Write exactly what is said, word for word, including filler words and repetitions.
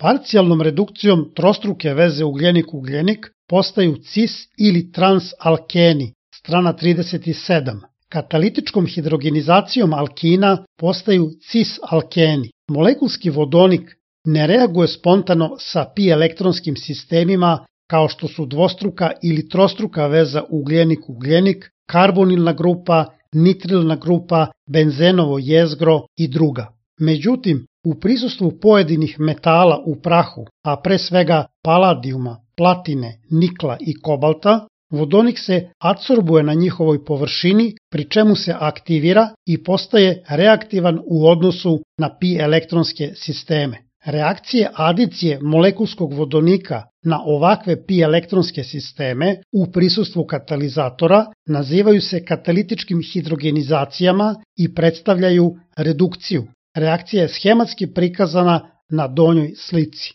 Parcijalnom redukcijom trostruke veze ugljenik-ugljenik postaju cis ili transalkeni, strana trideset sedam. Katalitičkom hidrogenizacijom alkina postaju cis-alkeni. Molekulski vodonik ne reaguje spontano sa pi elektronskim sistemima kao što su dvostruka ili trostruka veza ugljenik-ugljenik, karbonilna grupa, nitrilna grupa, benzenovo jezgro i druga. Međutim, u prisustvu pojedinih metala u prahu, a pre svega paladijuma, platine, nikla i kobalta, vodonik se adsorbuje na njihovoj površini, pri čemu se aktivira i postaje reaktivan u odnosu na pi elektronske sisteme. Reakcije adicije molekulskog vodonika na ovakve pi elektronske sisteme u prisustvu katalizatora nazivaju se katalitičkim hidrogenizacijama i predstavljaju redukciju. Reakcija je schematski prikazana na donjoj slici.